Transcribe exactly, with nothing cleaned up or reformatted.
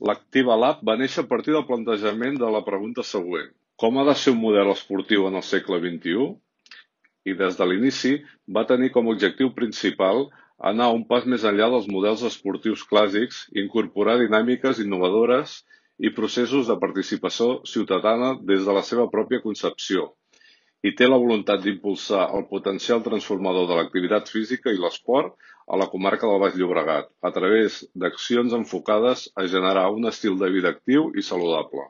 L'Activa Lab va néixer a partir del plantejament de la pregunta següent: com ha de ser un model esportiu en el segle vint-i-u? I des de l'inici va tenir com a objectiu principal anar un pas més enllà dels models esportius clàssics, incorporar dinàmiques innovadores i processos de participació ciutadana des de la seva pròpia concepció, i té la voluntat d'impulsar el potencial transformador de l'activitat física i l'esport a la comarca del Baix Llobregat, a través d'accions enfocades a generar un estil de vida actiu i saludable.